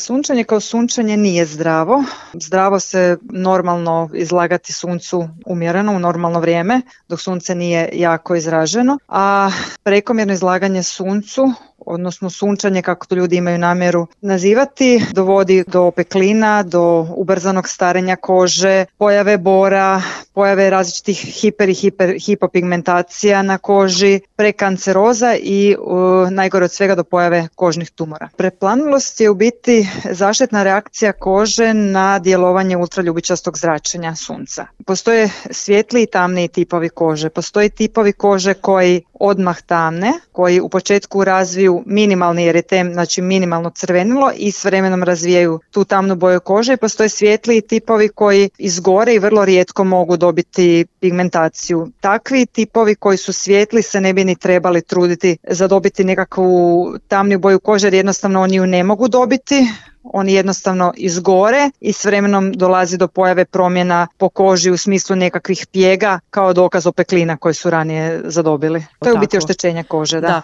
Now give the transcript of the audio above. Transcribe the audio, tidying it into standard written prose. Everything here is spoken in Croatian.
Sunčanje kao sunčanje nije zdravo. Zdravo se normalno izlagati suncu umjereno u normalno vrijeme, dok sunce nije jako izraženo, a prekomjerno izlaganje suncu, odnosno sunčanje kako to ljudi imaju namjeru nazivati, dovodi do opeklina, do ubrzanog starenja kože, pojave bora, pojave različitih hipopigmentacija na koži, prekanceroza i najgore od svega do pojave kožnih tumora. Preplanulost je u biti zaštitna reakcija kože na djelovanje ultraljubičastog zračenja sunca. Postoje svijetli i tamniji tipovi kože. Postoje tipovi kože koji odmah tamne, koji u početku razviju minimalni eritem, znači minimalno crvenilo i s vremenom razvijaju tu tamnu boju kože, i postoje svijetliji tipovi koji izgore i vrlo rijetko mogu dobiti pigmentaciju. Takvi tipovi koji su svijetli se ne bi ni trebali truditi za dobiti nekakvu tamniju boju kože jer jednostavno oni ju ne mogu dobiti. Oni jednostavno izgore i s vremenom dolazi do pojave promjena po koži u smislu nekakvih pjega kao dokaz opeklina koje su ranije zadobili. To je u biti oštećenje kože, da.